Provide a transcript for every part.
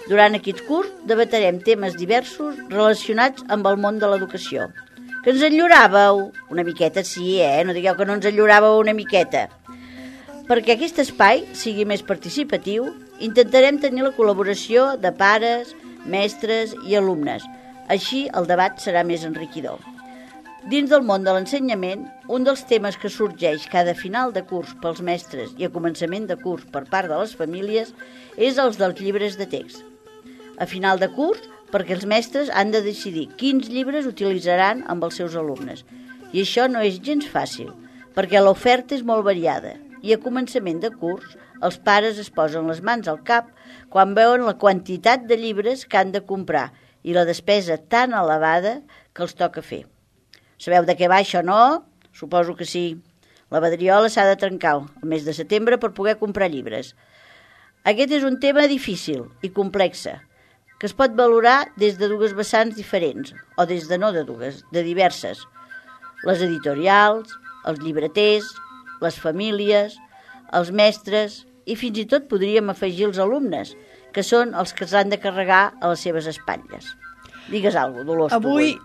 Durant aquest curs debatrem temes diversos relacionats amb el món de l'educació. Que ens enlloràveu? Una miqueta sí, No digueu que no ens enlloràveu una miqueta. Perquè aquest espai sigui més participatiu, intentarem tenir la col·laboració de pares, mestres i alumnes. Així el debat serà més enriquidor. Dins del món de l'ensenyament, un dels temes que sorgeix cada final de curs pels mestres i a començament de curs per part de les famílies és els dels llibres de text. A final de curs, perquè els mestres han de decidir quins llibres utilitzaran amb els seus alumnes. I això no és gens fàcil, perquè l'oferta és molt variada i a començament de curs els pares es posen les mans al cap quan veuen la quantitat de llibres que han de comprar i la despesa tan elevada que els toca fer. Sabeu de què va això, no? Suposo que sí. La Badriola s'ha de trencar el mes de setembre per poder comprar llibres. Aquest és un tema difícil i complex, que es pot valorar des de dues vessants diferents, o des de no de dues, de diverses. Les editorials, els llibreters, les famílies, els mestres i fins i tot podríem afegir els alumnes, que són els que s'han de carregar a les seves espatlles. Digues alguna cosa, Dolors. Avui...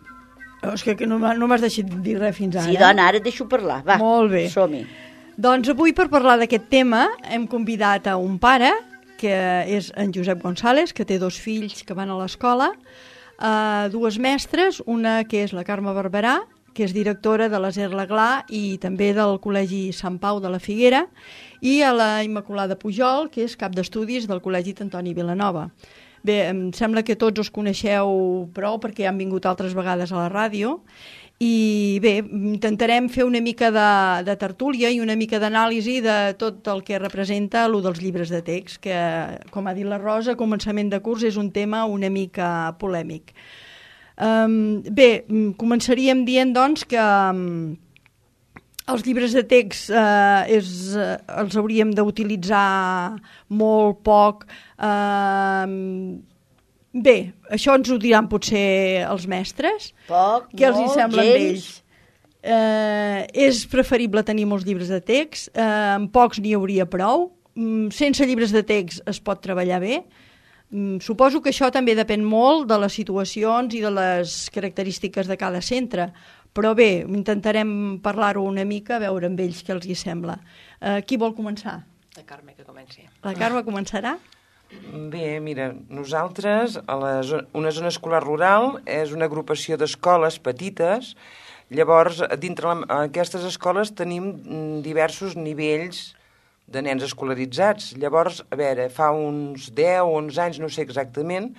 És que no m'has deixat dir res fins ara. Sí, dona, ara et deixo parlar. Va, molt bé. Som-hi. Doncs avui, per parlar d'aquest tema, hem convidat a un pare, que és en Josep González, que té 2 fills que van a l'escola, dues mestres, una que és la Carme Barberà, que és directora de l'Aser Laglà i també del Col·legi Sant Pau de la Figuera, i a la Immaculada Pujol, que és cap d'estudis del Col·legi Antoni Vilanova. Bé, em sembla que tots us coneixeu prou perquè han vingut altres vegades a la ràdio i bé, intentarem fer una mica de tertúlia i una mica d'anàlisi de tot el que representa allò dels llibres de text, que, com ha dit la Rosa, a començament de curs és un tema una mica polèmic. Bé, començaríem dient doncs que els llibres de text els hauríem d'utilitzar molt poc. Bé, això ens ho diran potser els mestres. Poc, què els hi sembla amb ells? És preferible tenir molts llibres de text, amb pocs n'hi hauria prou. Sense llibres de text es pot treballar bé. Suposo que això també depèn molt de les situacions i de les característiques de cada centre, però bé, intentarem parlar-ho una mica, a veure amb ells què els hi sembla. Qui vol començar? La Carme, que comenci. La Carme començarà? Bé, mira, nosaltres, una zona escolar rural, és una agrupació d'escoles petites. Llavors, dintre aquestes escoles tenim diversos nivells de nens escolaritzats. Llavors, a veure, fa uns 10 o 11 anys, no sé exactament,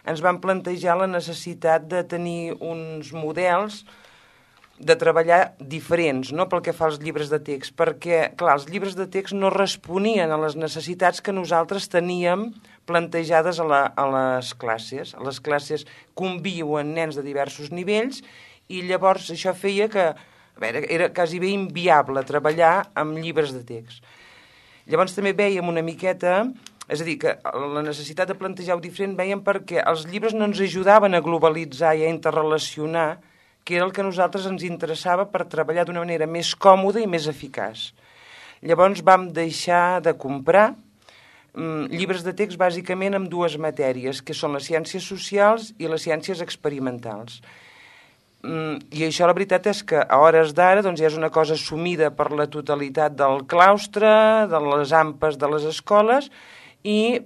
ens van plantejar la necessitat de tenir uns models de treballar diferents, no?, pel que fa als llibres de text, perquè, clar, els llibres de text no responien a les necessitats que nosaltres teníem plantejades a les classes. A les classes conviuen nens de diversos nivells i llavors això feia que, a veure, era quasi bé inviable treballar amb llibres de text. Llavors també veiem una miqueta, és a dir, que la necessitat de plantejar-ho diferent veiem perquè els llibres no ens ajudaven a globalitzar i a interrelacionar, que era el que a nosaltres ens interessava per treballar d'una manera més còmoda i més eficaç. Llavors vam deixar de comprar llibres de text bàsicament amb 2 matèries, que són les ciències socials i les ciències experimentals. I això la veritat és que a hores d'ara doncs, ja és una cosa assumida per la totalitat del claustre, de les AMPAs de les escoles, i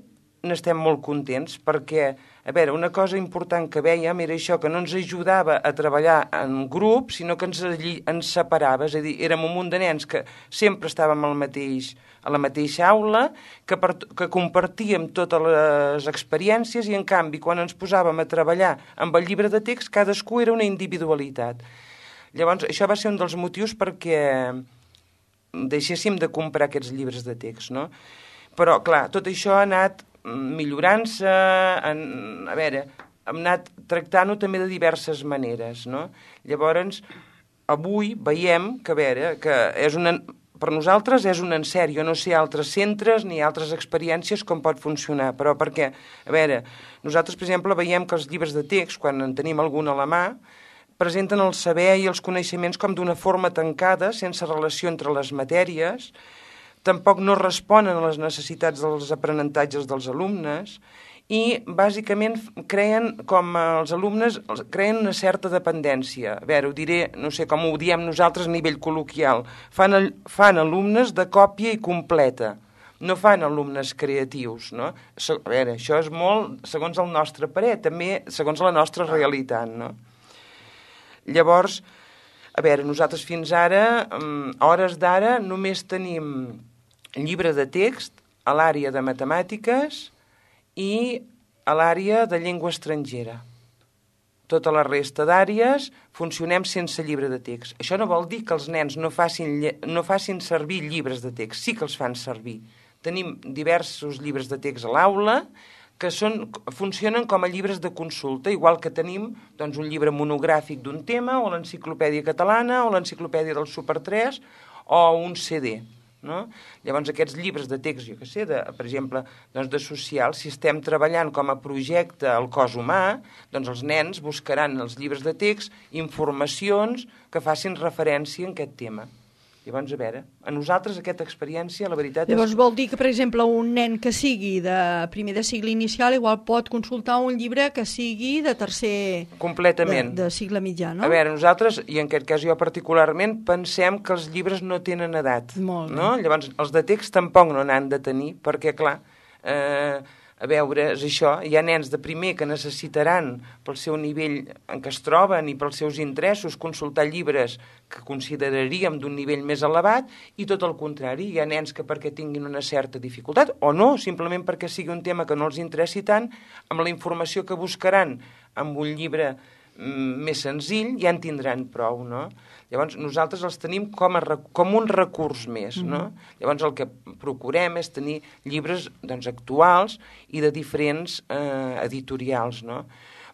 n'estem molt contents perquè, a veure, una cosa important que vèiem era això, que no ens ajudava a treballar en grup, sinó que ens separava, és a dir, érem un munt de nens que sempre estàvem a la mateixa aula, que compartíem totes les experiències i, en canvi, quan ens posàvem a treballar amb el llibre de text, cadascú era una individualitat. Llavors, això va ser un dels motius perquè deixéssim de comprar aquests llibres de text, no? Però, clar, tot això ha anat millorant-se, a veure, hem anat tractant-ho també de diverses maneres, no? Llavors, avui veiem que, a veure, que per nosaltres és un encert. Jo no sé altres centres ni altres experiències com pot funcionar, però perquè, a veure, nosaltres, per exemple, veiem que els llibres de text, quan en tenim algun a la mà, presenten el saber i els coneixements com d'una forma tancada, sense relació entre les matèries, tampoc no responen a les necessitats dels aprenentatges dels alumnes i bàsicament creen, com els alumnes, creen una certa dependència. A veure, ho diré, no sé com ho diem nosaltres a nivell col·loquial. Fan alumnes de còpia i completa, no fan alumnes creatius, no? A veure, això és molt segons el nostre parer, també segons la nostra realitat, no? Llavors, a veure, nosaltres fins ara, a hores d'ara, només tenim llibre de text a l'àrea de matemàtiques i a l'àrea de llengua estrangera. Tota la resta d'àrees funcionem sense llibre de text. Això no vol dir que els nens no facin servir llibres de text, sí que els fan servir. Tenim diversos llibres de text a l'aula que funcionen com a llibres de consulta, igual que tenim doncs, un llibre monogràfic d'un tema, o l'enciclopèdia catalana, o l'enciclopèdia del Super 3, o un CD. No? Llavors aquests llibres de text, jo què sé, per exemple, doncs de social, si estem treballant com a projecte al cos humà, doncs els nens buscaran els llibres de text informacions que facin referència a aquest tema. Llavors, a veure, a nosaltres aquesta experiència, la veritat Llavors vol dir que, per exemple, un nen que sigui de primer de cicle inicial igual pot consultar un llibre que sigui de tercer... Completament. De cicle mitjà, no? A veure, nosaltres, i en aquest cas jo particularment, pensem que els llibres no tenen edat. Molt bé. No? Llavors, els de text tampoc no n'han de tenir, perquè, clar, a veure, és això, hi ha nens de primer que necessitaran pel seu nivell en què es troben i pels seus interessos consultar llibres que consideraríem d'un nivell més elevat, i tot el contrari, hi ha nens que perquè tinguin una certa dificultat, o no, simplement perquè sigui un tema que no els interessi tant, amb la informació que buscaran amb un llibre més senzill ja en tindran prou, no? Llavors nosaltres els tenim com un recurs més, no? Llavors el que procurem és tenir llibres doncs, actuals i de diferents editorials, no?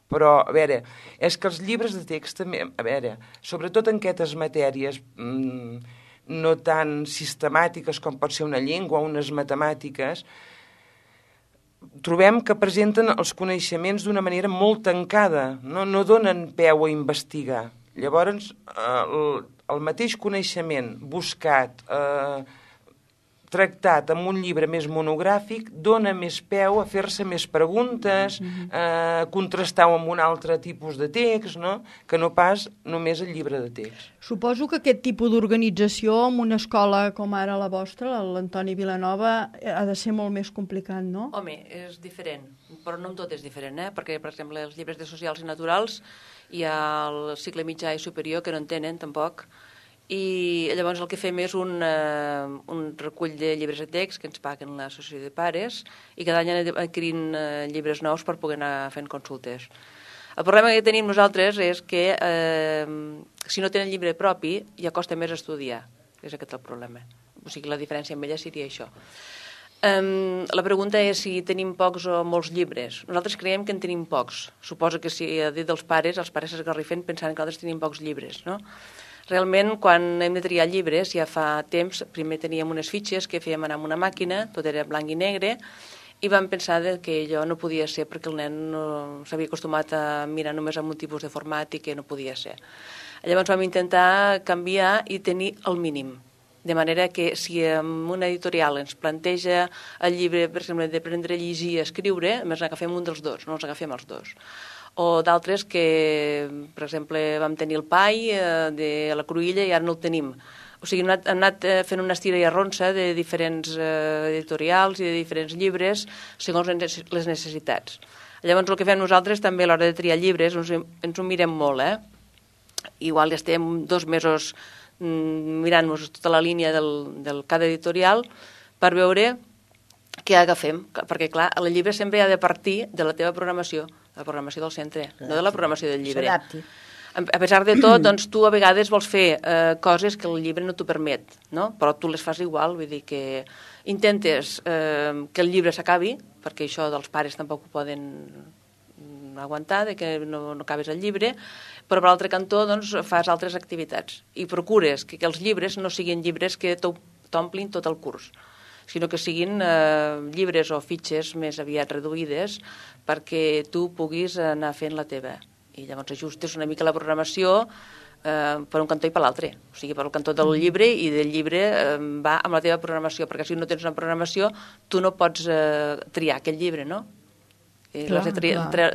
Però, a veure, és que els llibres de text també, a veure, sobretot en aquestes matèries no tan sistemàtiques com pot ser una llengua o unes matemàtiques, trobem que presenten els coneixements d'una manera molt tancada, no donen peu a investigar. Llavors, el mateix coneixement buscat, tractat amb un llibre més monogràfic, dona més peu a fer-se més preguntes, contrastar-ho amb un altre tipus de text, no? Que no pas només el llibre de text. Suposo que aquest tipus d'organització en una escola com ara la vostra, l'Antoni Vilanova, ha de ser molt més complicat, no? Home, és diferent, però no en tot és diferent, perquè, per exemple, els llibres de socials i naturals hi ha el cicle mitjà i superior que no en tenen, tampoc, i llavors el que fem és un recull de llibres de text que ens paguen l'associació de pares i cada any anem adquirint llibres nous per poder anar fent consultes. El problema que tenim nosaltres és que si no tenen llibre propi ja costa més estudiar, és aquest el problema. O sigui, la diferència amb ella seria això. La pregunta és si tenim pocs o molts llibres. Nosaltres creiem que en tenim pocs. Suposo que si ha dit dels pares, els pares s'esgarrifen pensant que nosaltres tenim pocs llibres, no? Realment, quan hem de triar llibres, ja fa temps, primer teníem unes fitxes que fèiem anar amb una màquina, tot era blanc i negre, i vam pensar que allò no podia ser perquè el nen no s'havia acostumat a mirar només amb un tipus de format i que no podia ser. Llavors vam intentar canviar i tenir el mínim. De manera que si en una editorial ens planteja el llibre, per exemple, d'aprendre a llegir i a escriure, només n'agafem un dels dos, no els agafem els dos. O d'altres que, per exemple, vam tenir el PAI de la Cruïlla i ara no el tenim. O sigui, hem anat fent una estira i arronsa de diferents editorials i de diferents llibres segons les necessitats. Llavors, el que fem nosaltres també a l'hora de triar llibres ens ho mirem molt, Igual estem 2 mesos mirant-nos tota la línia del cada editorial per veure què agafem, perquè clar, el llibre sempre ha de partir de la teva programació, la programació del centre, no de la programació del llibre. S'adapti. A pesar de tot, doncs tu a vegades vols fer coses que el llibre no t'ho permet, no? Però tu les fas igual, vull dir que intentes que el llibre s'acabi, perquè això dels pares tampoc ho poden aguantar, que no acabes el llibre, però per l'altre cantó doncs, fas altres activitats i procures que els llibres no siguin llibres que t'omplin tot el curs, sinó que siguin llibres o fitxes més aviat reduïdes perquè tu puguis anar fent la teva. I llavors ajustes una mica la programació per un cantó i per l'altre. O sigui, per el cantó del llibre i del llibre va amb la teva programació, perquè si no tens una programació tu no pots triar aquell llibre, no? les de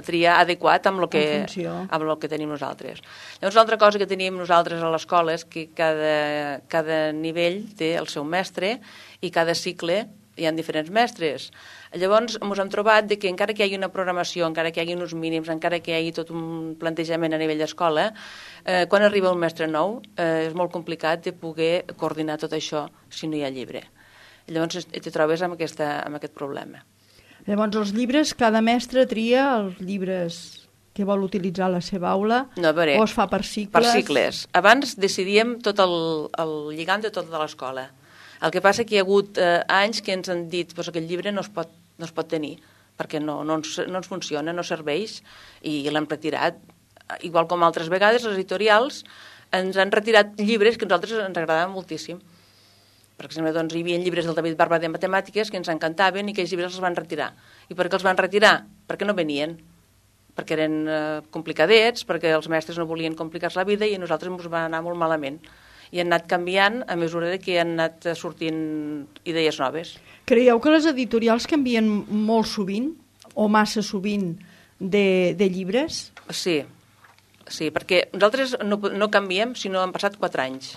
triar adequat amb el que tenim nosaltres. Llavors, l'altra cosa que tenim nosaltres a l'escola és que cada nivell té el seu mestre i cada cicle hi ha diferents mestres. Llavors, ens hem trobat que encara que hi hagi una programació, encara que hi hagi uns mínims, encara que hi hagi tot un plantejament a nivell d'escola, quan arriba un mestre nou és molt complicat de poder coordinar tot això si no hi ha llibre. Llavors, te trobes amb aquest problema. Llavors, els llibres, cada mestre tria els llibres que vol utilitzar a la seva aula, o es fa per cicles? Per cicles. Abans decidíem tot el lligam de tota l'escola. El que passa que hi ha hagut anys que ens han dit que aquest llibre no es pot tenir, perquè no ens funciona, no serveix, i l'hem retirat. Igual com altres vegades, les editorials ens han retirat llibres que a nosaltres ens agradaven moltíssim. Per exemple, hi havia llibres del David Barba de matemàtiques que ens encantaven i aquells llibres els van retirar. I per què els van retirar? Perquè no venien. Perquè eren complicadets, perquè els mestres no volien complicar-se la vida i a nosaltres ens va anar molt malament. I han anat canviant a mesura que han anat sortint idees noves. Creieu que les editorials canvien molt sovint o massa sovint de llibres? Sí, perquè nosaltres no canviem si no han passat 4 anys.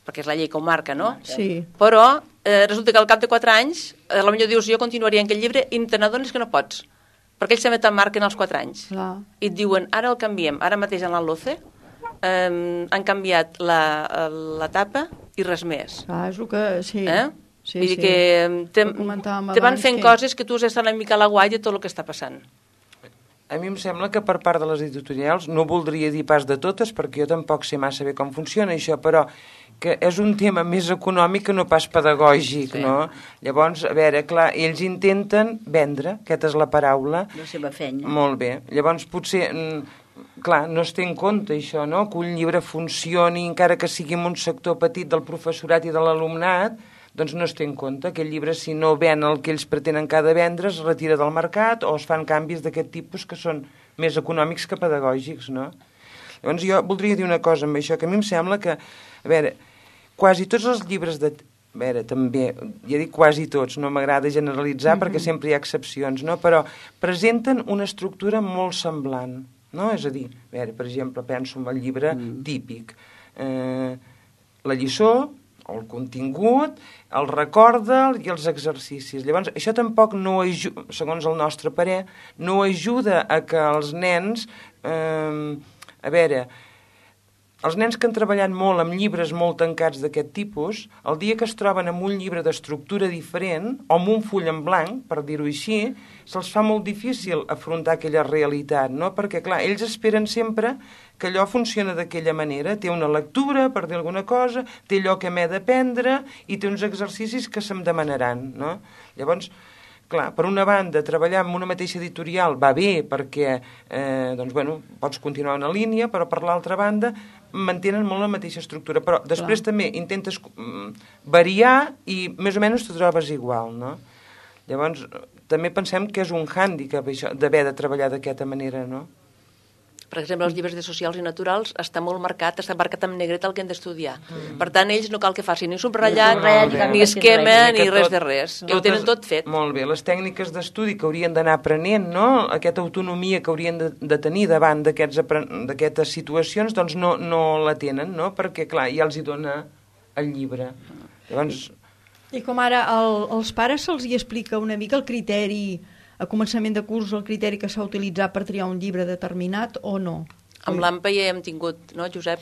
Perquè és la llei que ho marca, no? Sí. Però resulta que al cap de 4 anys, potser dius, jo continuaria en aquest llibre i te n'adones que no pots, perquè ells també te'n marquen els 4 anys. Clar. I et diuen, ara el canviem. Ara mateix en l'ALOCE han canviat la tapa i res més. Clar, és el que... Sí. Sí, vull dir que te van fent coses que tu has d'estar una mica a la guai de tot el que està passant. A mi em sembla que per part de les editorials, no voldria dir pas de totes, perquè jo tampoc sé massa bé com funciona això, però que és un tema més econòmic que no pas pedagògic, sí. No? Llavors, a veure, clar, ells intenten vendre, aquesta és la paraula. La seva feina. Molt bé. Llavors, potser, clar, no es té en compte això, no?, que un llibre funcioni, encara que sigui en un sector petit del professorat i de l'alumnat, doncs no es té en compte. Aquell llibre, si no ven el que ells pretenen que ha de vendre, es retira del mercat o es fan canvis d'aquest tipus que són més econòmics que pedagògics, no? Llavors jo voldria dir una cosa amb això, que a mi em sembla que, a veure, quasi tots els llibres de... A veure, també, ja dic quasi tots, no m'agrada generalitzar perquè sempre hi ha excepcions, no? Però presenten una estructura molt semblant, no? És a dir, a veure, per exemple, penso en el llibre típic. La lliçó, el contingut, el recorda i els exercicis. Llavors, això tampoc no ajuda, segons el nostre parer, no ajuda a que els nens... a veure, els nens que han treballat molt amb llibres molt tancats d'aquest tipus, el dia que es troben amb un llibre d'estructura diferent, o amb un full en blanc, per dir-ho així, se'ls fa molt difícil afrontar aquella realitat, no? Perquè, clar, ells esperen sempre que allò funciona d'aquella manera, té una lectura, per dir alguna cosa, té allò que m'he d'aprendre i té uns exercicis que se'm demanaran, no? Llavors, clar, per una banda, treballar en una mateixa editorial va bé perquè, doncs, bueno, pots continuar una línia, però per l'altra banda mantenen molt la mateixa estructura, però després també intentes variar i més o menys te trobes igual, no? Llavors, també pensem que és un hàndicap això d'haver de treballar d'aquesta manera, no? Per exemple, els llibres de socials i naturals està molt marcat, està marcat amb negret el que hem d'estudiar. Per tant, ells no cal que facin ni subratllat, ni esquema, ni res de res. Ho tenen tot fet. Molt bé, les tècniques d'estudi que haurien d'anar aprenent, no? Aquesta autonomia que haurien de tenir davant d'aquestes situacions, doncs no la tenen, no? Perquè, clar, ja els hi dona el llibre. Llavors... I com ara als pares se'ls hi explica una mica el criteri... a començament de curs el criteri que s'ha utilitzat per triar un llibre determinat o no? Amb l'AMPA ja hem tingut, no, Josep?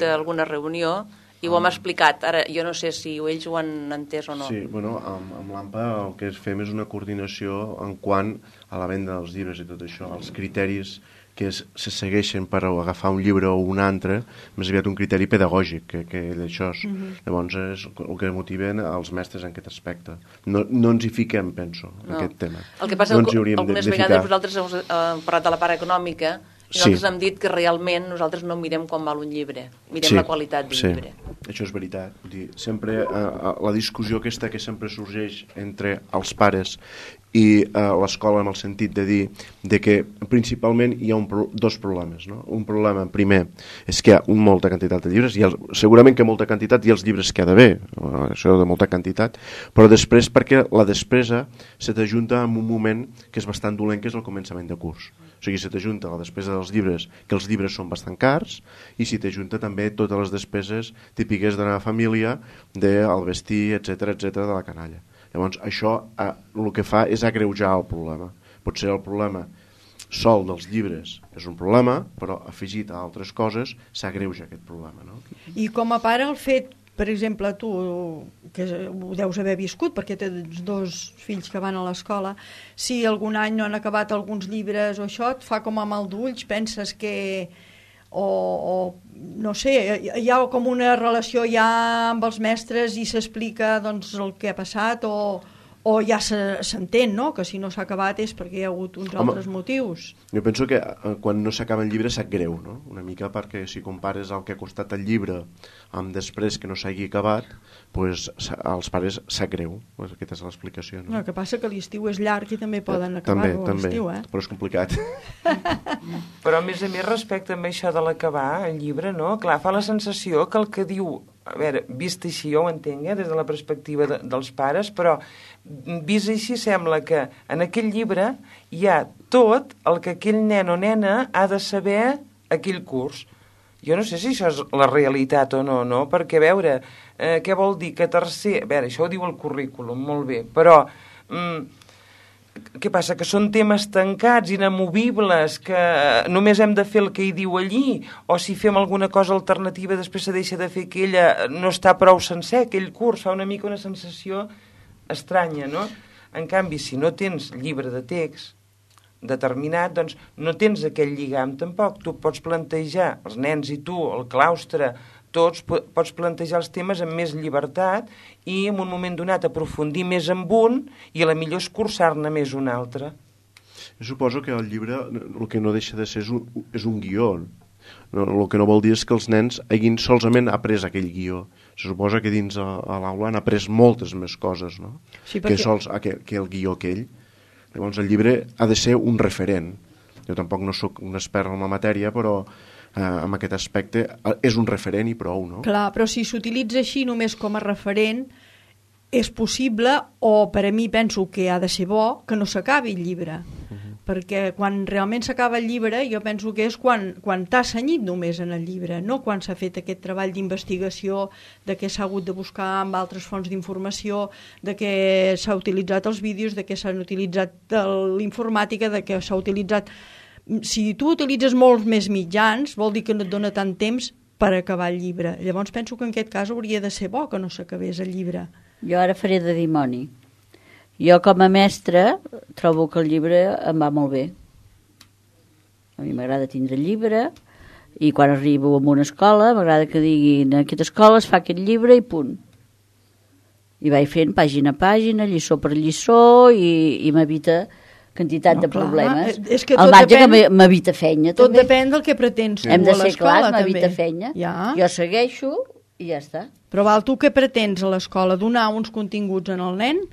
Alguna reunió i ho hem explicat. Ara, jo no sé si ells ho han entès o no. Sí, bueno, amb l'AMPA el que fem és una coordinació en quant a la venda dels llibres i tot això, els criteris que se segueixen per agafar un llibre o un altre, més aviat un criteri pedagògic que d'això. Llavors és el que motiven els mestres en aquest aspecte. No ens hi fiquem, penso, en aquest tema. El que passa és que algunes vegades vosaltres heu parlat de la part econòmica i nosaltres hem dit que realment nosaltres no mirem quan val un llibre, mirem la qualitat del llibre. Això és veritat. Sempre la discussió aquesta que sempre sorgeix entre els pares i l'escola en el sentit de dir de que principalment hi ha dos problemes, no? Un problema primer és que hi ha molta quantitat de llibres, segurament que molta quantitat i els llibres que ha d'haver, això de molta quantitat, però després perquè la despesa se t'ajunta en un moment que és bastant dolent, que és el començament de curs. O sigui, se t'ajunta la despesa dels llibres, que els llibres són bastant cars, i si t'ajunta també totes les despeses típiques de la família, del vestir, etc de la canalla. Llavors, això el que fa és agreujar el problema. Potser el problema sol dels llibres és un problema, però afegit a altres coses s'agreuja aquest problema. No? I com a pare el fet, per exemple, tu, que ho deus haver viscut perquè tens 2 fills que van a l'escola, si algun any no han acabat alguns llibres o això, et fa com a mal d'ulls, penses que... o no sé, hi ha com una relació ja amb els mestres i s'explica doncs, el que ha passat o ja s'entén, no? Que si no s'ha acabat és perquè hi ha hagut uns altres motius. Jo penso que quan no s'acaba el llibre sap greu, no? Una mica perquè si compares el que ha costat el llibre amb després que no s'hagi acabat, pues, als pares sap greu. Pues aquesta és l'explicació. No? El que passa que l'estiu és llarg i també poden acabar-ho a l'estiu. Però és complicat. Però a més respecte amb això de l'acabar el llibre, no? Clar, fa la sensació que el que diu, a veure, vist així jo ho entenc, des de la perspectiva dels pares, però vist així sembla que en aquell llibre hi ha tot el que aquell nen o nena ha de saber aquell curs. Jo no sé si això és la realitat o no, perquè a veure, què vol dir que tercer... A veure, això ho diu el currículum, molt bé, però... Què passa? Que són temes tancats, inamovibles, que només hem de fer el que hi diu allí, o si fem alguna cosa alternativa després se deixa de fer aquella, no està prou sencer aquell curs, fa una mica una sensació estranya, no? En canvi, si no tens llibre de text determinat, doncs no tens aquell lligam tampoc. Tu pots plantejar, els nens i tu, el claustre, tots pots plantejar els temes amb més llibertat i en un moment donat aprofundir més en un i a la millor escurçar-ne més un altre. Jo suposo que el llibre el que no deixa de ser és un guió. El que no vol dir és que els nens hagin solament après aquell guió. Se suposa que dins a l'aula han après moltes més coses, no? Sí, perquè... que el guió aquell. Llavors el llibre ha de ser un referent. Jo tampoc no sóc un expert en la matèria, però en aquest aspecte és un referent i prou, no? Clar, però si s'utilitza així només com a referent és possible, o per a mi penso que ha de ser bo, que no s'acabi el llibre. Perquè quan realment s'acaba el llibre jo penso que és quan t'ha cenyit només en el llibre, no quan s'ha fet aquest treball d'investigació, de què s'ha hagut de buscar amb altres fonts d'informació, de què s'ha utilitzat els vídeos, de què s'han utilitzat l'informàtica, de què s'ha utilitzat... Si tu utilitzes molts més mitjans, vol dir que no et dona tant temps per acabar el llibre. Llavors penso que en aquest cas hauria de ser bo que no s'acabés el llibre. Jo ara faré de dimoni. Jo com a mestra trobo que el llibre em va molt bé. A mi m'agrada tindre el llibre i quan arribo a una escola m'agrada que diguin en aquesta escola es fa aquest llibre i punt. I vaig fent pàgina a pàgina, lliçó per lliçó i m'evita quantitat de problemes. És que el marge que m'evita feina tot també. Depèn del que pretens Hem de a ser l'escola clars, m'evita també. feina. Ja. Jo segueixo i ja està. Però val, tu què pretens a l'escola? Donar uns continguts en el nen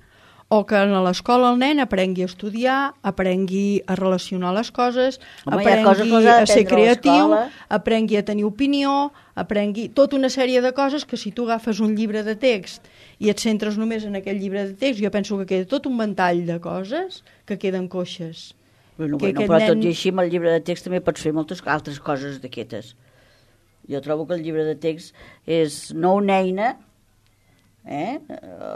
o que a l'escola el nen aprengui a estudiar, aprengui a relacionar les coses, Home, aprengui a ser creatiu, aprengui a tenir opinió, aprengui tota una sèrie de coses que si tu agafes un llibre de text i et centres només en aquell llibre de text, jo penso que queda tot un ventall de coses que queden coixes. Bueno, però tot i així amb el llibre de text també pots fer moltes altres coses d'aquestes. Jo trobo que el llibre de text és no una eina,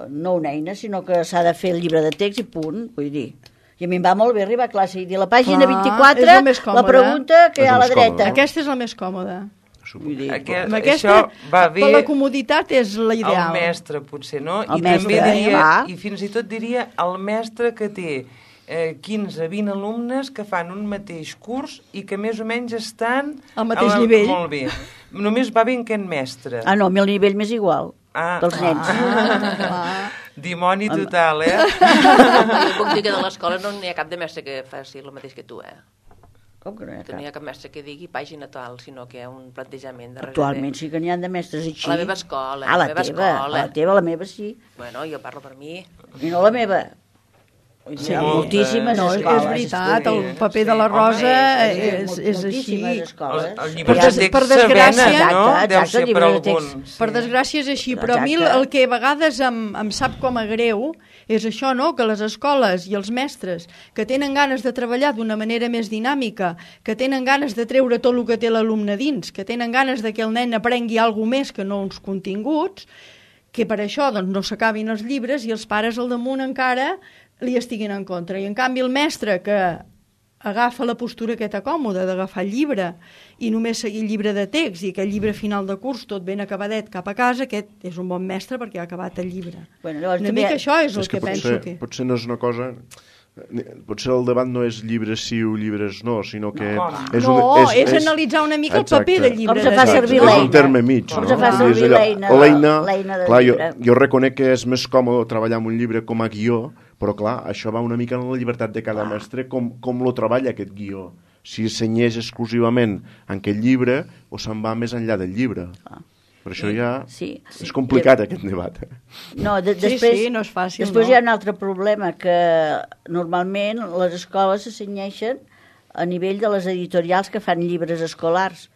no una eina, sinó que s'ha de fer el llibre de text i punt, vull dir. I a mi em va molt bé arribar a classe i dir a la pàgina 24 la pregunta que hi ha a la dreta. Aquesta és la més còmoda. Això va bé per la comoditat és l'ideal. El mestre potser, no? El I mestre, també diria, i fins i tot diria el mestre que té 15-20 alumnes que fan un mateix curs i que més o menys estan al mateix nivell. Molt bé. Només va bé en aquest mestre. No, a mi el nivell m'és igual, dels nens. Dimoni total, Jo puc dir que de l'escola no n'hi ha cap de mestre que faci el mateix que tu, Com que no hi ha cap? No hi ha cap mestre que digui pàgina tal, sinó que hi ha un plantejament darrere. Actualment sí que n'hi ha de mestres així. A la meva escola. A la meva sí. Bueno, jo parlo per mi. I no la meva. Sí, moltíssimes escoles. És veritat, el paper de la Rosa és així. El llibre de text per desgràcia, no? Deu ser per alguns. Per desgràcia és així, però a mi el que a vegades em sap com a greu és això, no?, que les escoles i els mestres que tenen ganes de treballar d'una manera més dinàmica, que tenen ganes de treure tot el que té l'alumne dins, que tenen ganes de que el nen aprengui alguna més que no uns continguts, que per això doncs, no s'acabin els llibres i els pares al damunt encara li estiguin en contra. I en canvi el mestre que agafa la postura aquesta còmoda d'agafar el llibre i només seguir el llibre de text i aquell llibre final de curs tot ben acabadet cap a casa, aquest és un bon mestre perquè ha acabat el llibre. Una mica això és el que penso que... Potser no és una cosa... Potser el debat no és llibres sí o llibres no, sinó que... és analitzar una mica el paper del llibre. Com se fa servir l'eina. És un terme mig. Com se fa servir l'eina del llibre. Jo reconec que és més còmode treballar amb un llibre com a guió, però clar, això va una mica en la llibertat de cada mestre, com lo treballa aquest guió. Si s'enyeix exclusivament en aquest llibre o se'n va més enllà del llibre. Per això ja és complicat aquest debat. No, després no és fàcil. Després hi ha un altre problema, que normalment les escoles se cenyeixen a nivell de les editorials que fan llibres escolars.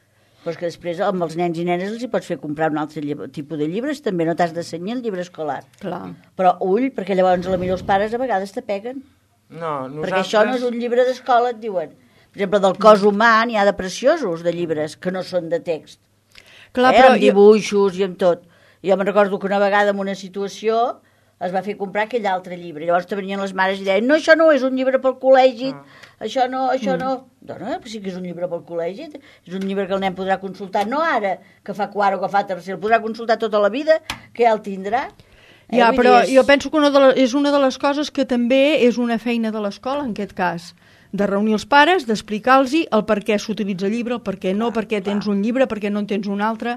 Però que després amb els nens i nenes els hi pots fer comprar un altre tipus de llibres, també no t'has de cenyir el llibre escolar. Clar. Però ull, perquè llavors potser els pares a vegades te peguen. No, nosaltres... Perquè això no és un llibre d'escola, et diuen. Per exemple, del cos humà n'hi ha de preciosos de llibres que no són de text. Clar, però amb dibuixos i amb tot. Jo me'n recordo que una vegada en una situació es va fer comprar aquell altre llibre. Llavors te venien les mares i deien, no, això no és un llibre pel col·legi, això no. Dona, però sí que és un llibre pel col·legi, és un llibre que el nen podrà consultar, no ara, que fa quart o que fa tercer, el podrà consultar tota la vida, que ja el tindrà. Ja, però jo penso que és una de les coses que també és una feina de l'escola, en aquest cas, de reunir els pares, d'explicar-los el per què s'utilitza el llibre, el per què no, per què tens un llibre, per què no en tens un altre,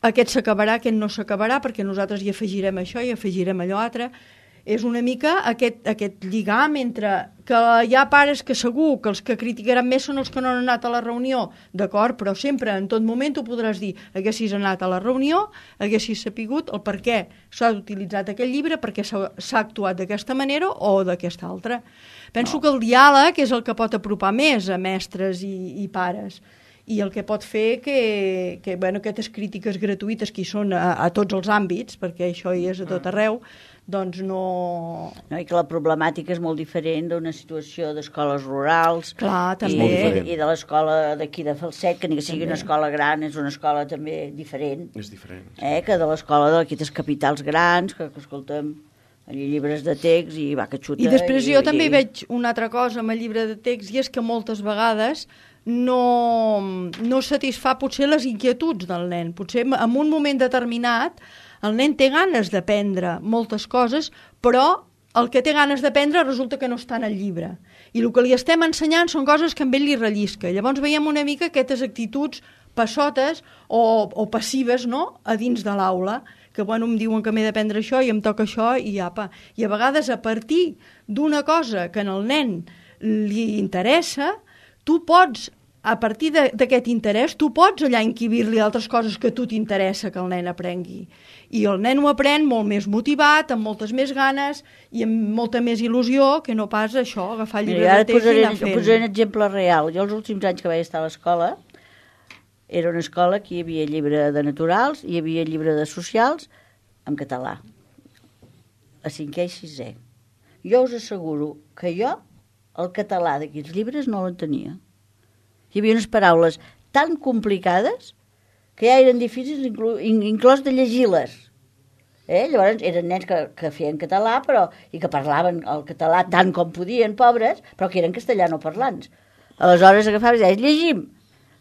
aquest s'acabarà, aquest no s'acabarà, perquè nosaltres hi afegirem això, hi afegirem allò altre. És una mica aquest lligam entre que hi ha pares que segur que els que criticaran més són els que no han anat a la reunió, d'acord, però sempre, en tot moment, tu podràs dir haguessis anat a la reunió, haguessis sapigut el per què s'ha utilitzat aquell llibre, perquè s'ha actuat d'aquesta manera o d'aquesta altra. Penso que el diàleg és el que pot apropar més a mestres i pares, i el que pot fer que aquestes crítiques gratuïtes que hi són a tots els àmbits, perquè això hi és a tot arreu, doncs no... I que la problemàtica és molt diferent d'una situació d'escoles rurals. Clar, també. I de l'escola d'aquí de Falset, que ni que sigui una escola gran, és una escola també diferent. És diferent. Que de l'escola d'aquí les capitals grans, que escoltem allà llibres de text i va que xuta. I després jo també veig una altra cosa amb el llibre de text, i és que moltes vegades no satisfà potser les inquietuds del nen. Potser en un moment determinat el nen té ganes d'aprendre moltes coses, però el que té ganes d'aprendre resulta que no està en el llibre. I el que li estem ensenyant són coses que amb ell li rellisca. Llavors veiem una mica aquestes actituds passotes o passives, no?, a dins de l'aula, que em diuen que m'he d'aprendre això i em toca això i apa. I a vegades a partir d'una cosa que en el nen li interessa, tu pots, a partir d'aquest interès, tu pots allà encabir-li altres coses que a tu t'interessa que el nen aprengui. I el nen ho aprèn molt més motivat, amb moltes més ganes i amb molta més il·lusió que no pas això, agafar el llibre de text i anar fent. Posaré un exemple real. Jo els últims anys que vaig estar a l'escola, era una escola que hi havia llibre de naturals, hi havia llibre de socials en català, a 5è i 6è. Jo us asseguro que jo el català d'aquests llibres no l'entenia. Hi havia unes paraules tan complicades que ja eren difícils inclús de llegir-les. Llavors eren nens que feien català i que parlaven el català tant com podien, pobres, però que eren castellanoparlants. Aleshores agafaves i deies, llegim.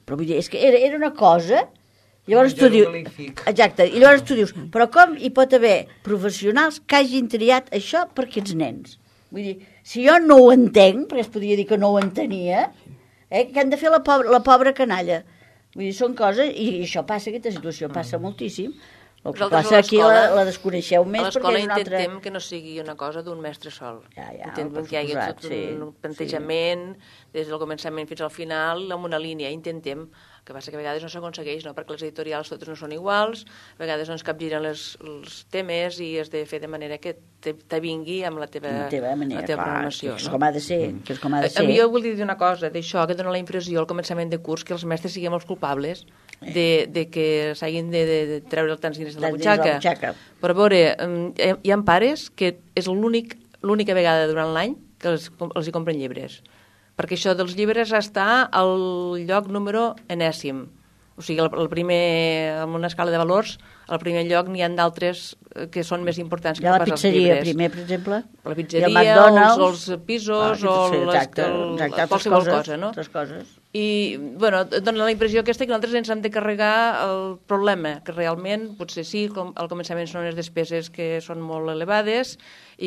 Però vull dir, és que era una cosa... Llavors tu dius... Exacte, i llavors tu dius, però com hi pot haver professionals que hagin triat això per aquests nens? Vull dir, si jo no ho entenc, perquè es podria dir que no ho entenia, que han de fer la pobra canalla. Vull dir, són coses, i això passa, aquesta situació passa moltíssim, El que passa aquí la desconeixeu més perquè és una altra... A l'escola intentem que no sigui una cosa d'un mestre sol. Intentem que hi hagi tot un plantejament des del començament fins al final amb una línia. Intentem, que passa que a vegades no s'aconsegueix, no? Perquè les editorials totes no són iguals, a vegades no ens capgiren els temes i has de fer de manera que t'avingui amb la teva programació. Que és com ha de ser. Jo vull dir una cosa d'això, que dona la impressió al començament de curs que els mestres siguem els culpables de que s'hagin de treure tants diners de la butxaca. Però a veure, hi ha pares que és l'única vegada durant l'any que els hi compren llibres. Perquè això dels llibres està al lloc número enèsim. O sigui, el primer, en una escala de valors, al primer lloc n'hi ha d'altres que són més importants que pas els llibres. La pizzeria, primer, per exemple? La pizzeria, o els pisos, o qualsevol cosa, no? Altres coses. I, bueno, dona la impressió aquesta que nosaltres ens hem de carregar el problema, que realment, potser sí, al començament són unes despeses que són molt elevades,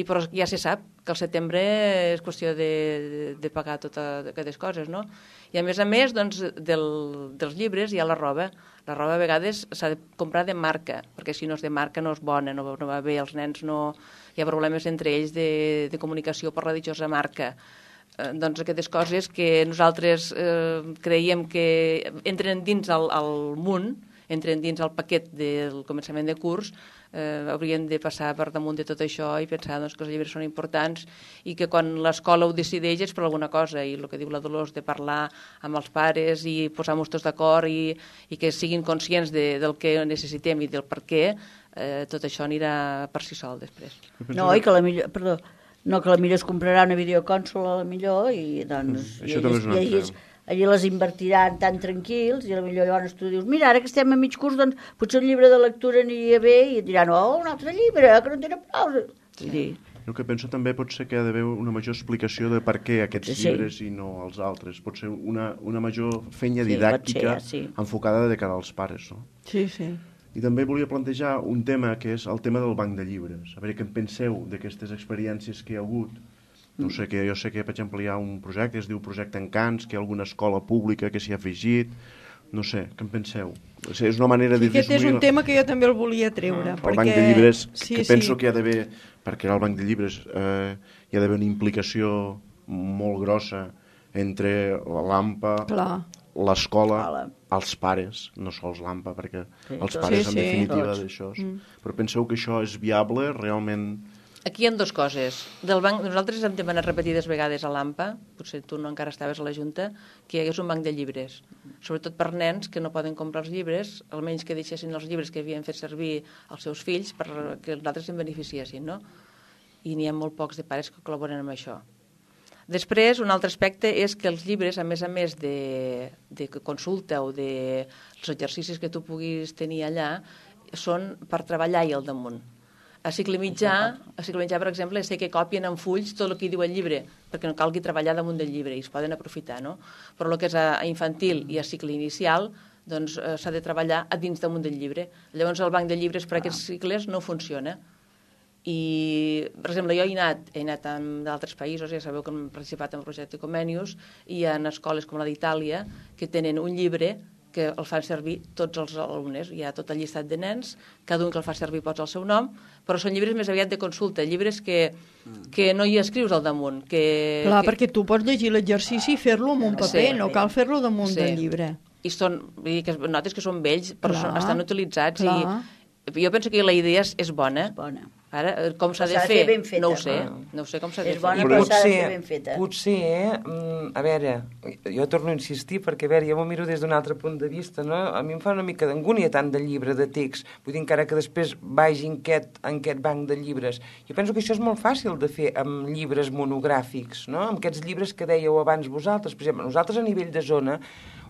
però ja se sap que al setembre és qüestió de pagar totes aquestes coses, no? I a més, doncs, dels llibres hi ha la roba. La roba a vegades s'ha de comprar de marca, perquè si no és de marca no és bona, no va bé, els nens no... Hi ha problemes entre ells de comunicació per la ditjosa marca. Doncs aquestes coses que nosaltres creiem que entren dins el munt, entren dins el paquet del començament de curs, haurien de passar per damunt de tot això i pensar doncs, que els llibres són importants i que quan l'escola ho decideix és per alguna cosa, i el que diu la Dolors de parlar amb els pares i posar-nos tots d'acord i que siguin conscients del que necessitem i del per què, tot això anirà per si sol després. No, i que la millor... Perdó, no, que la millor es comprarà una videocònsola, la millor, i doncs... Això també és una altra. Allí les invertiran tan tranquils i potser llavors tu dius, mira, ara que estem a mig curs, doncs potser un llibre de lectura aniria bé i et diran, oh, un altre llibre, que no tenen prou. Sí. El que penso també pot ser que ha d'haver una major explicació de per què aquests llibres i no els altres. Pot ser una major feina didàctica enfocada de cara als pares, no? Sí, sí. I també volia plantejar un tema que és el tema del banc de llibres. A veure què en penseu d'aquestes experiències que hi ha hagut. No sé, jo sé que, per exemple, hi ha un projecte, es diu Projecte Encants, que hi ha alguna escola pública que s'hi ha afegit. No sé, què en penseu? És una manera de disminuir... Aquest és un tema que jo també el volia treure. El banc de llibres, que penso que hi ha d'haver, perquè al banc de llibres hi ha d'haver una implicació molt grossa entre l'AMPA, l'escola, els pares, no sols l'AMPA, perquè els pares en definitiva d'això. Però penseu que això és viable realment... Aquí hi ha dues coses. Del banc, nosaltres hem demanat repetides vegades a l'AMPA, potser tu no encara estaves a la Junta, que hi hagués un banc de llibres, sobretot per nens que no poden comprar els llibres, almenys que deixessin els llibres que havien fet servir els seus fills perquè els altres se'n beneficiessin, no? I n'hi ha molt pocs de pares que col·laboren amb això. Després, un altre aspecte és que els llibres, a més de consulta o dels exercicis que tu puguis tenir allà, són per treballar-hi al damunt. A cicle mitjà, per exemple, sé que copien en fulls tot el que diu el llibre, perquè no calgui treballar damunt del llibre i es poden aprofitar, no? Però el que és a infantil i a cicle inicial, doncs s'ha de treballar a dins damunt del llibre. Llavors el banc de llibres per a aquests cicles no funciona. I, per exemple, jo he anat d'altres països, ja sabeu que hem participat en el projecte Comenius, i hi ha escoles com la d'Itàlia que tenen un llibre que el fan servir tots els alumnes. Hi ha tot el llistat de nens, cada un que el fa servir posa el seu nom, però són llibres més aviat de consulta, llibres que no hi escrius al damunt. Clar, perquè tu pots llegir l'exercici i fer-lo en un paper, no cal fer-lo damunt del llibre. I notes que són vells, però estan utilitzats. I jo penso que la idea és bona. Ara, com s'ha de fer, no ho sé. No ho sé com s'ha de fer. És bona, però s'ha de fer ben feta. Potser, a veure, jo torno a insistir, perquè, a veure, jo m'ho miro des d'un altre punt de vista, no? A mi em fa una mica d'angúnia tant de llibre de text, vull dir, encara que després vagi en aquest banc de llibres. Jo penso que això és molt fàcil de fer amb llibres monogràfics, no? Amb aquests llibres que dèieu abans vosaltres. Per exemple, nosaltres a nivell de zona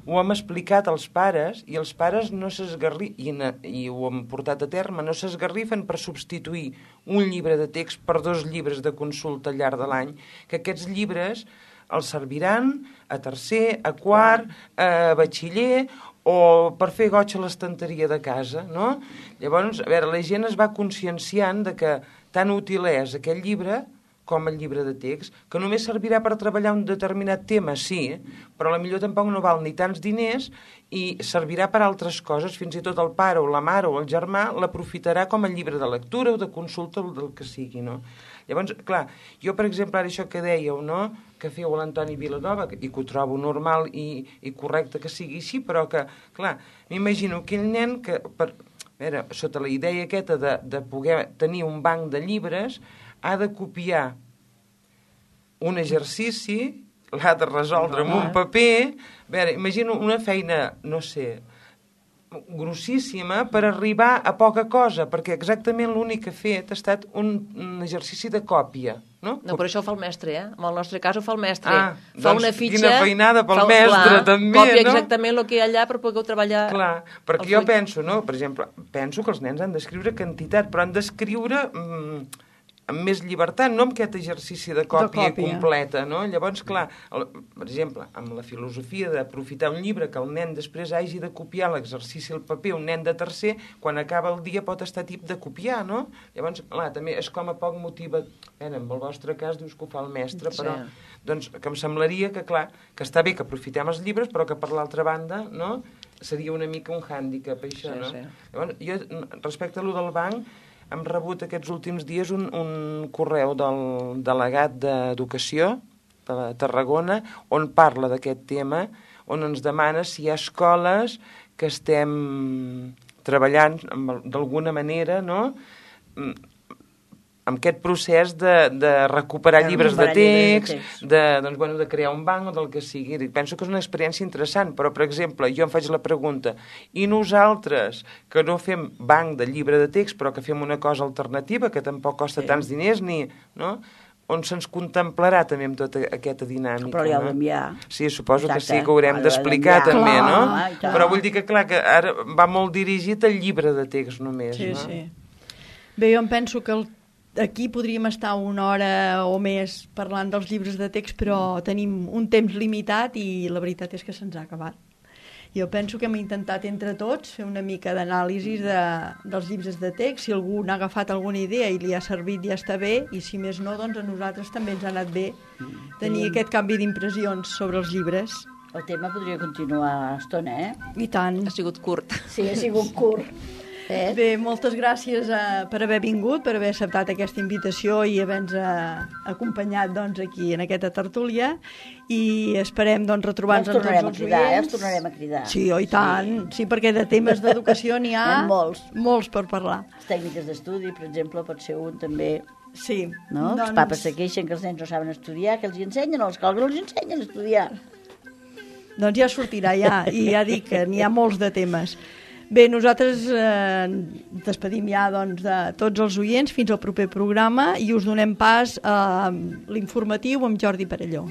ho hem explicat als pares i els pares no i ho hem portat a terme, no s'esgarrifen per substituir un llibre de text per 2 llibres de consulta al llarg de l'any, que aquests llibres els serviran a tercer, a quart, a batxiller o per fer goig a l'estanteria de casa, no? Llavors, a veure, la gent es va conscienciant de que tan útil és aquest llibre com el llibre de text, que només servirà per treballar un determinat tema, sí, però potser tampoc no val ni tants diners i servirà per altres coses, fins i tot el pare o la mare o el germà l'aprofitarà com a llibre de lectura o de consulta o del que sigui, no? Llavors, clar, jo, per exemple, ara això que dèieu, no?, que feu a l'Antoni Vilanova, i que ho trobo normal i correcte que sigui així, però que, clar, m'imagino aquell nen que, sota la idea aquesta de poder tenir un banc de llibres, ha de copiar un exercici, l'ha de resoldre amb un paper. A veure, imagino una feina, no sé, grossíssima per arribar a poca cosa, perquè exactament l'únic que ha fet ha estat un exercici de còpia. No, però això ho fa el mestre, En el nostre cas ho fa el mestre. Fa una fitxa... Quina feinada pel mestre, també, no? Còpia exactament el que hi ha allà per poder treballar... Clar, perquè jo penso, no?, per exemple, penso que els nens han d'escriure quantitat, però han d'escriure amb més llibertat, no amb aquest exercici de còpia completa, no? Llavors, clar, per exemple, amb la filosofia d'aprofitar un llibre que el nen després hagi de copiar l'exercici al paper, un nen de tercer, quan acaba el dia pot estar tip de copiar, no? Llavors, clar, també és com a poc motiva... en el vostre cas dius que ho fa el mestre, però doncs que em semblaria que, clar, que està bé que aprofitem els llibres, però que per l'altra banda, no?, seria una mica un hàndicap, això, no? Llavors, jo, respecte a allò del banc, hem rebut aquests últims dies un correu del delegat d'Educació de Tarragona on parla d'aquest tema, on ens demana si hi ha escoles que estem treballant d'alguna manera, no?, amb aquest procés de recuperar llibres de text, de crear un banc o del que sigui. Penso que és una experiència interessant, però, per exemple, jo em faig la pregunta, i nosaltres, que no fem banc de llibre de text, però que fem una cosa alternativa, que tampoc costa tants diners, no?, on se'ns contemplarà també amb tota aquesta dinàmica. Però ja ho d'enviar. Sí, suposo que sí, que ho haurem d'explicar també, no? Però vull dir que, clar, que ara va molt dirigit al llibre de text només, no? Sí, sí. Bé, jo em penso que aquí podríem estar una hora o més parlant dels llibres de text, però tenim un temps limitat i la veritat és que se'ns ha acabat. Jo penso que hem intentat entre tots fer una mica d'anàlisi dels llibres de text. Si algú n'ha agafat alguna idea i li ha servit, ja està bé, i si més no, doncs a nosaltres també ens ha anat bé tenir aquest canvi d'impressions sobre els llibres. El tema podria continuar estona, I tant. Ha sigut curt. Sí, ha sigut curt. Bé, moltes gràcies per haver vingut, per haver acceptat aquesta invitació i haver-nos acompanyat aquí en aquesta tertúlia, i esperem retrobar-nos amb tots els oients. Els tornarem a cridar. Sí, i tant. Sí, perquè de temes d'educació n'hi ha molts per parlar. Les tècniques d'estudi, per exemple, pot ser un també. Sí. No? Els papes se queixen que els nens no saben estudiar, que els hi ensenyen, o els que els ensenyen a estudiar. Doncs ja sortirà, i ja dic que n'hi ha molts de temes. Bé, nosaltres despedim ja de tots els oients fins al proper programa i us donem pas a l'informatiu amb Jordi Perelló.